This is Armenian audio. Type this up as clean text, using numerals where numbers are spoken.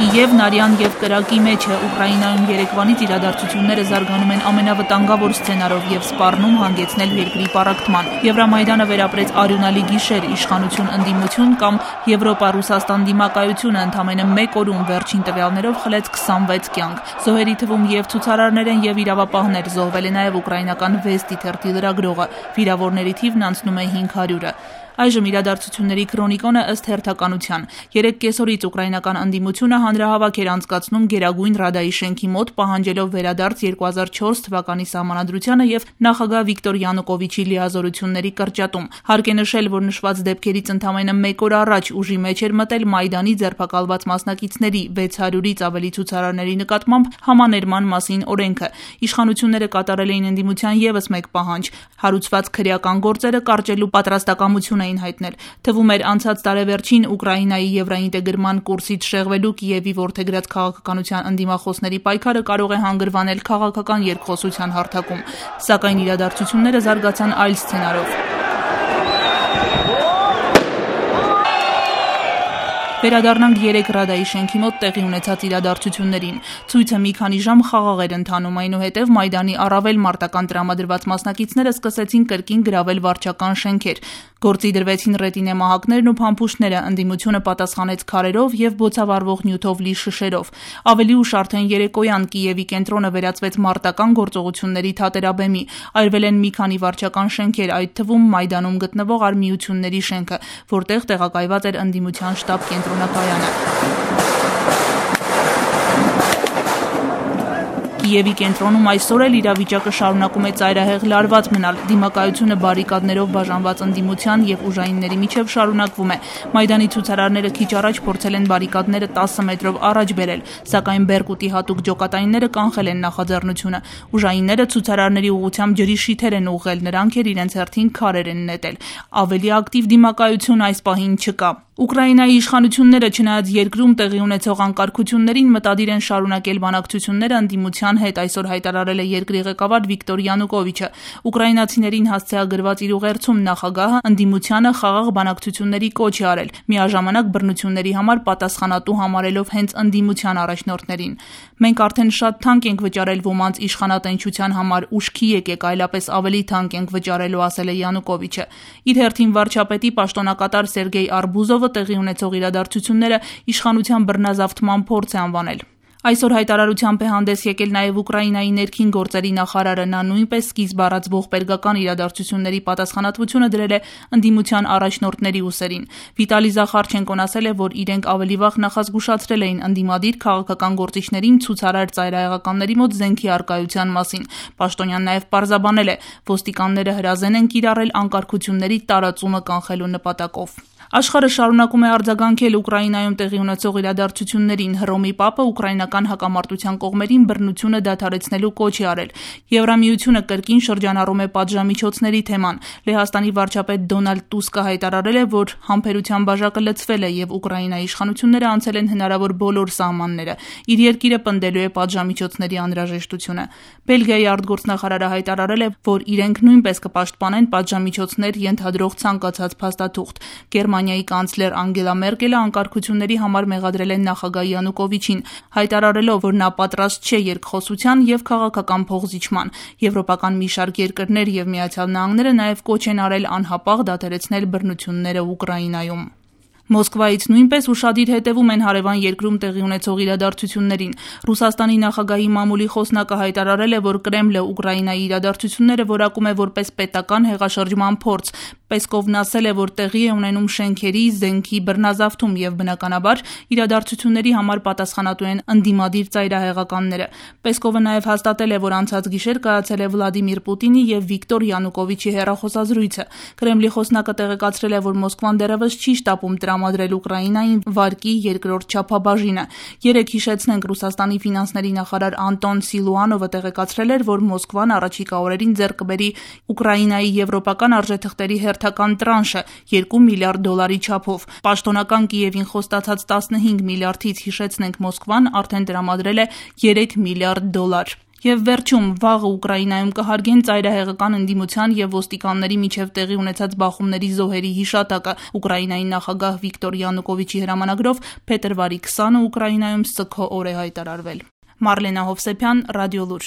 Եվ Նարյան և կրակի մեջ է Ուկրաինայում երեկվանից իրադարձությունները զարգանում են ամենավտանգավոր սցենարով և սպառնում հանգեցնել երկրի պառակտման։ Եվրամայդանը վերապրեց արյունալի գիշեր, իշխանություն-ընդդիմություն կամ Եվրոպա-Ռուսաստան դիմակայությունը ընդամենը մեկ օրում վերջին տվյալներով խլեց 26 կյանք։ Զոհերի թվում և ցուցարարներ են և իրավապահներ, զոհվել է նաև ուկրաինական Վեստի թերթի լրագրողը, վիրավորների թիվն անցնում է 500-ը։ Այժմ իրադարձությունների քրոնիկոնը ըստ հերթականության։ 3 կեսօրից ուկրաինական ընդդիմությունը հանրահավաք էր անցկացնում Գերագույն Ռադայի շենքի մոտ, պահանջելով վերադարձ 2004 թվականի սահմանադրությանը և նախագահ Վիկտոր Յանուկովիչի լիազորությունների կրճատում։ Հարկ է նշել, որ նշված դեպքերից ընդամենը մեկ օր առաջ ուժի մեջ էր մտել Մայդանի ձերբակալված մասնակիցների 600-ից ավելի ցուցարարների նկատմամբ համաներման մասին օրենքը։ Իշխանությունները կատարել էին ընդդիմության ևս մեկ պահանջ՝ հարուցված քրեական գործերը կարճելու պատրաստակամություն էին հայտնել։ Թվում էր անցած տարեվերջին Ուկրաինայի եվրաինտեգրման կուրսից շեղվելու Կիևի որդեգրած քաղաքականության ընդդիմախոսների պայքարը կարող է հանգրվանել քաղաքական երկխոսության հարթակում, սակայն իրադարձությունները զարգացան այլ սցենարով։ Վերադառնանք 3 Ռադայի շենքի մոտ տեղի ունեցած իրադարձություններին։ Ցույցը մի քանի ժամ խաղաղ էր ընթանում, այնուհետև Մայդանի առավել մարտական տրամադրված մասնակիցները սկսեցին կրկին գրավել վարչական շենքեր։ Գործի դրվեցին ռետինե մահակներն ու փամփուշտները, ընդդիմությունը պատասխանեց քարերով և բոցավառվող նյութով լի շշերով։ Ավելի ուշ արդեն երեկոյան Կիևի կենտրոնը վերածվեց մարտական գործողությունների թատերաբեմի։ Այրվել են մի քանի վարչական շենքեր, այդ թվում Մայդանում գտնվող Արմիությունների շենքը, որտեղ տեղակայված էր ընդդիմության շտաբ կենտրոնակայանը։ Կիևի կենտրոնում այսօր էլ իրավիճակը շարունակում է ծայրահեղ լարված մնալ։ Դիմակայությունը բարիկադներով բաժանված ընդդիմության և ուժայինների միջև շարունակվում է։ Մայդանի ցուցարարները քիչ առաջ փորձել են բարիկադները 10 մետրով առաջ բերել, սակայն Բերկուտի հատուկ ջոկատայինները կանխել են նախաձեռնությունը։ Ուժայինները ցուցարարների ուղղությամբ ջրի շիթեր են ուղղել, նրանք էլ իրենց հերթին քարեր են նետել։ Ավելի ակտիվ դիմակայություն այս պահին չկա։ Ուկրաինայի իշխանությունները, չնայած երկրում տեղի ունեցող անկարգություններին, մտադիր են շարունակել բանակցությունները ընդդիմության հետ, այսօր հայտարարել է երկրի ղեկավար Վիկտոր Յանուկովիչը։ Ուկրաինացիներին հասցեագրված իր ուղերձում նախագահը ընդդիմությանը խաղաղ բանակցությունների կոչ է արել, միաժամանակ բռնությունների համար պատասխանատու համարելով հենց ընդդիմության առաջնորդներին։ Մենք արդեն շատ թանկ ենք վճարել ոմանց իշխանատենչության համար, ուշքի եկեք, այլապես ավելի թանկ ենք վճարելու, ասել է Յանուկովիչը։ Իր հերթին վարչապետի պաշտոնակատար Սերգեյ Արբուզովը տեղի ունեցող իրադարձությունները իշխանության բռնազավթման փորձ է անվանել։ Այսօր հայտարարությամբ է հանդես եկել նաև Ուկրաինայի ներքին գործերի նախարարը։ Նա նույնպես սկիզբ առած ողբերգական իրադարձությունների պատասխանատվությունը դրել է ընդդիմության առաջնորդների ուսերին։ Վիտալի Զախարչենկոն ասել է, որ իրենք ավելի վաղ նախազգուշացրել էին ընդդիմադիր քաղաքական գործիչներին ցուցարար ծայրահեղականների մոտ զենքի առկայության մասին։ Պաշտոնյան նաև պարզաբանել է, ոստիկանները հրազեն են կիրառել անկարգությունների տարածումը կանխելու նպատակով։ Աշխարհը շարունակում է արձագանքել Ուկրաինայում տեղի ունեցող իրադարձություններին։ Հռոմի Պապը ուկրաինական հակամարտության կողմերին բռնությունը դադարեցնելու կոչ է արել։ Եվրամիությունը կրկին շրջանառում է պատժամիջոցների թեման։ Լեհաստանի վարչապետ Դոնալդ Տուսկը հայտարարել է, որ համբերության բաժակը լցվել է և Ուկրաինայի իշխանությունները անցել են հնարավոր բոլոր սահմանները։ Իր երկիրը պնդելու է պատժամիջոցների անհրաժեշտությունը։ Բելգիայի արտգործնախարարը հայտարարել է, որ իրենք նույնպես կպաշտպանեն պատժամիջոցներ ենթադրող ցանկացած փաստաթուղթ։ Գերմանիայի կանցլեր Անգելա Մերկելը անկարգությունների համար մեղադրել է նախագահ Յանուկովիչին, հայտարարելով, որ նա պատրաստ չէ երկխոսության և քաղաքական փոխզիջման։ Եվրոպական մի շարք երկրներ և Միացյալ Նահանգները նաև կոչ են արել անհապաղ դադարեցնել բռնությունները Ուկրաինայում։ Մոսկվայից նույնպես ուշադիր հետևում են հարևան երկրում տեղի ունեցող իրադարձություններին։ Ռուսաստանի նախագահի մամուլի խոսնակը հայտարարել է, որ Կրեմլը Ուկրաինայի իրադարձությունները որակում է որպես պետական հեղաշրջման փորձ։ Պեսկովն ասել է, որ տեղի է ունենում շենքերի, զենքի բռնազավթում և բնականաբար իրադարձությունների համար պատասխանատու են ընդդիմադիր ծայրահեղականները։ Պեսկովը նաև հաստատել է, որ անցած գիշեր կայացել է Վլադիմիր Պուտինի և Վիկտոր Յանուկովիչի հեռախոսազրույցը։ Կրեմլի խոսնակը տեղեկացրել է, որ Մոսկվան դեռևս չի շտապում տրամադրել Ուկրաինային վարկի երկրորդ չափաբաժինը։ Երեկ հիշեցնենք, Ռուսաստանի ֆինանսների նախարար Անտոն Սիլուանովը տեղեկացրել էր, որ Մոսկվան առաջիկա օրերին ձեռք կբերի Ուկրաինայի եվրոպական արժեթղթերի հերթական տրանշը 2 միլիարդ դոլարի չափով։ Պաշտոնական Կիևին խոստացած 15 միլիարդից հիշեցնենք, Մոսկվան արդեն տրամադրել է 3 միլիարդ դոլար։ Եվ վերջում վաղը Ուկրաինայում կհարգեն ծայրահեղական ընդդիմության եւ ոստիկանների միջև տեղի ունեցած բախումների զոհերի հիշատակը։ Ուկրաինայի նախագահ Վիկտոր Յանուկովիչի հրամանագրով փետրվարի 20-ը Ուկրաինայում սգո օր է հայտարարվել։ Մարլենա Հովսեփյան, Ռադիոլուր։